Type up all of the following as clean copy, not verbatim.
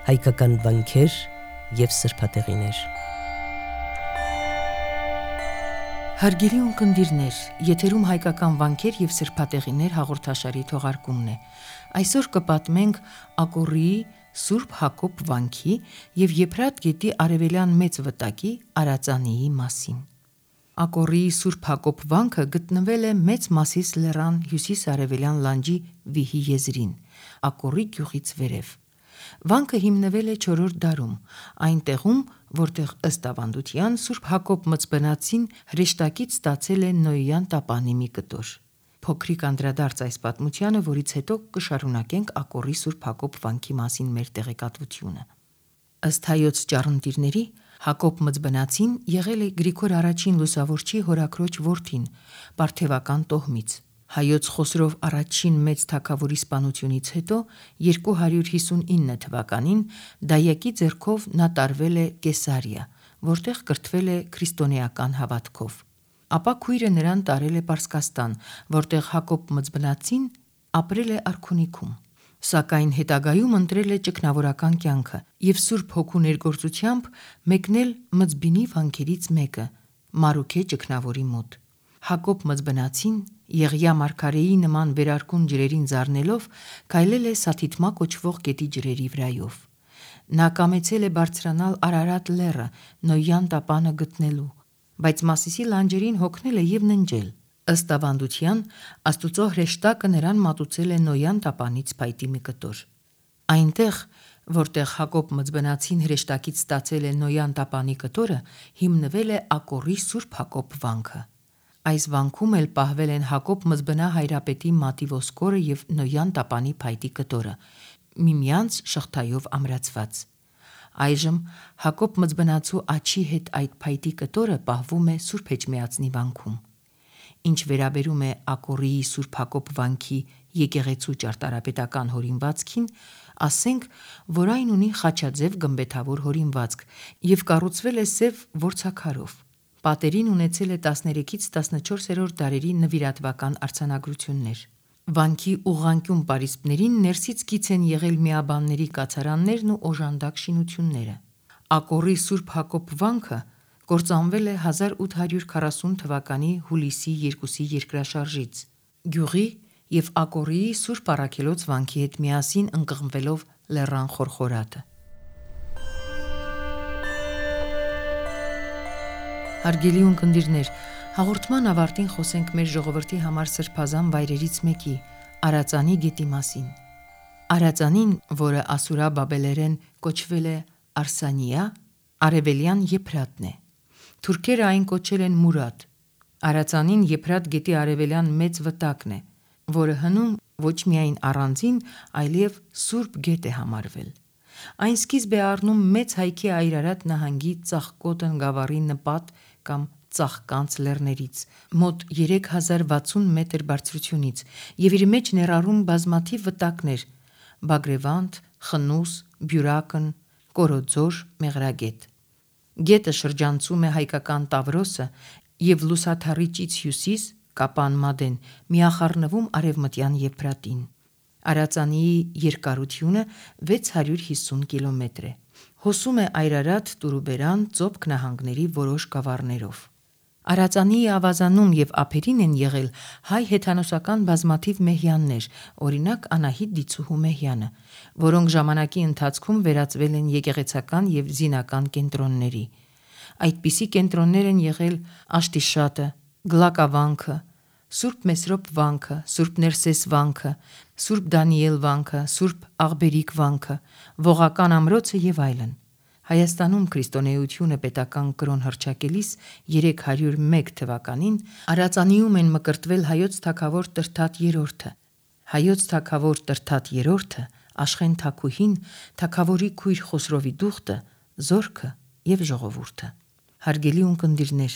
հայկական վանքեր և սրբատեղիներ։ Հարգելի ունկնդիրներ, եթերում հայկական վանքեր և սրբատեղիներ հաղորդաշարի թողարկումն է։ Այսօր կպատմենք Ակոռիի Սուրբ Հակոբ վանքի և Եփրատ գետի արևելյան մեծ վտակի Արածանիի մասին։ Ակոռիի Սուրբ Հակոբ վանքը գտնվել է Մեծ Մասիս լեռան հյուսիս-արևելյան լանջի վիհի եզրին, Ակոռի գյուղից վերև։ Վանքը հիմնվել է 4-րդ դարում, այն տեղում, որտեղ ըստ ավանդության Սուրբ Հակոբ Մծբնացին հրեշտակից ստացել է Նոյյան տապանի մի կտոր։ Փոքրիկ անդրադարձ այս պատմությանը, որից հետո կշարունակենք Ակոռի Սուրբ Հակոբ վանքի մասին մեր տեղեկատվությունը։ Ըստ հայոց ճառընտիրների, Հակոբ Մծբնացին եղել է Գրիգոր I լուսավորչի հորաքրոջ որդին, պարթևական տոհմից։ Հայոց Խոսրով առաջին մեծ թագավորի սպանությունից հետո 259 թվականին դայակի ձեռքով նա տարվել է Կեսարիա, որտեղ կրթվել է քրիստոնեական հավատքով։ Ապա քույրը նրան տարել է Պարսկաստան, որտեղ Հակոբ Մծբնացին ապրել է արքունիքում։ Սակայն հետագայում ընտրել է ճգնավորական կյանքը և Սուրբ Հոգու ներգործությամբ մեկնել Մզբինի վանքերից մեկը՝ Մարուքե ճգնավորի մոտ։ Հակոբ Մծբնացին Եղիա մարգարեի նման վերարկուն ջրերին զարնելով քայլել է Սաթիթմա կոչվող գետի ջրերի վրայով։ Նա կամեցել է բարձրանալ Արարատ լեռը Նոյյան տապանը գտնելու, բայց Մասիսի լանջերին հոգնել է և ննջել։ Ըստ ավանդության, Աստուծո հրեշտակը նրան մատուցել է Նոյան տապանից փայտի մի կտոր։ Այնտեղ, որտեղ Հակոբ Մծբնացին հրեշտակից ստացել է Նոյան տապանի կտորը, հիմնվել է Ակոռի Սուրբ Հակոբ վանքը։ Այս վանքում էլ պահվել են Հակոբ Մզբնա հայրապետի մատի ոսկորը և Նոյան տապանի փայտի կտորը, միմյանց շղթայով ամրացված։ Այժմ Հակոբ Մծբնացու աջի հետ այդ փայտի կտորը պահվում է Սուրբ Էջմիածնի վանքում։ Ինչ վերաբերում է Ակոռիի Սուրբ Հակոբ վանքի եկեղեցու ճարտարապետական հորինվածքին, ասենք, որ այն ունի խաչաձև գմբեթավոր հորինվածք և կառուցվել է սև որցաքարով։ Պատերին ունեցել է 13-ից 14-րդ դարերի նվիրատվական արձանագրություններ։ Վանքի ուղղանկյուն պարիսպներին ներսից կից են եղել միաբանների կացարաններն ու օժանդակ շինությունները։ Ակոռի Սուրբ Հակոբ վանքը կործանվել է 1840 թվականի հուլիսի 2-ի երկրաշարժից, գյուղի և Ակոռիի Սուրբ Առաքելոց վանքի հետ միասին ընկղմվելով լեռան խորխորատը։ Հարգելի ունկնդիրներ, հաղորդման ավարտին խոսենք մեր ժողովրդի համար սրբազան վայրերից մեկի՝ Արածանի գետի մասին։ Արածանին, որը ասորա-բաբելերեն կոչվել է Արսանիա, արևելյան Եփրատն է։ Թուրքերը այն կոչել են Մուրադ։ Արածանին Եփրատ գետի արևելյան մեծ վտակն է, որը հնում ոչ միայն առանձին, այլև Սուրբ գետ է համարվել։ Այն սկիզբ է առնում Մեծ Հայքի Այրարատ նահանգի Ծաղկոտն գավառի նպատ կամ Ծաղկանց լեռներից, մոտ 3060 մետր բարձրությունից և իր մեջ ներառում բազմաթիվ վտակներ՝ Բագրևանդ, Խնուս, Բյուրակն, Կորոձոր, Մեղրագետ։ Գետը շրջանցում է հայկական Տավրոսը և լուսաթառիճից հյուսիս Կապան Մադեն միախառնվում Արևմտյան Եփրատին։ Արածանիի երկարությունը 650 կիլոմետր է։ Հոսում է Այրարատ, Տուրուբերան, Ծոպք նահանգների որոշ գավառներով։ Արածանիի ավազանում և ափերին են եղել հայ հեթանոսական բազմաթիվ մեհյաններ, օրինակ Անահիտ Դիցուհու մեհյանը, որոնք ժամանակի ընթացքում վերածվել են եկեղեցական և զինական կենտրոնների։ Այդպիսի կենտրոններ են եղել Աշտիշատը, Գլակավանքը, Սուրբ Մեսրոպ վանքը, Սուրբ Ներսես վանքը, Սուրբ Դանիել վանքը, Սուրբ Աղբերիկ վանքը, Ողական ամրոցը և այլն։ Հայաստանում քրիստոնեությունը պետական կրոն հռչակելիս 301 թվականին Արածանիում են մկրտվել հայոց թագավոր Տրդատ III-ը։ Հայոց թագավոր Տրդատ III-ը, Աշխեն թագուհին, թագավորի քույր Խոսրովի դուխտը, զորքը և ժողովուրդը։ Հարգելի ունկնդիրներ,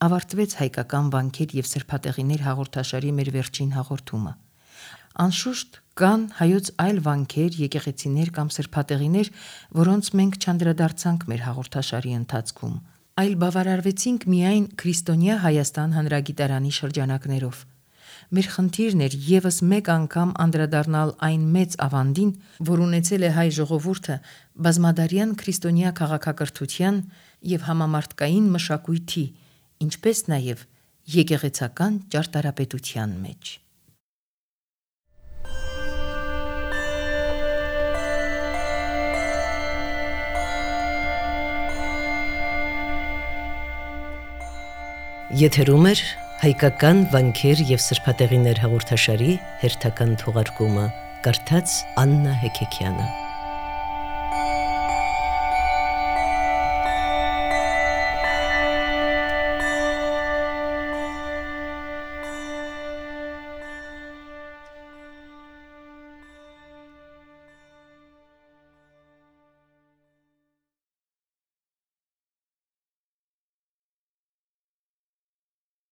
ավարտվեց հայկական վանքեր և սրբատեղիներ հաղորդաշարի մեր վերջին հաղորդումը։ Անշուշտ կան հայոց այլ վանքեր, եկեղեցիներ կամ սրբատեղիներ, որոնց մենք չանդրադարձանք մեր հաղորդաշարի ընթացքում, այլ բավարարվեցինք միայն քրիստոնյա Հայաստան հանրագիտարանի շրջանակներով։ մեր խնդիրն էր եւս մեկ անգամ անդրադառնալ այն մեծ ավանդին, որ ունեցել է հայ ժողովուրդը բազմադարյան քրիստոնյա քաղաքակրթության եւ համամարտկային մշակույթի, ինչպես նաեւ եկեղեցական ճարտարապետության մեջ։ Եթերում էր հայկական վանքեր եւ սրբատեղիներ հաղորդաշարի հերթական թողարկումը, կարդաց Աննա Հեքեքյանը։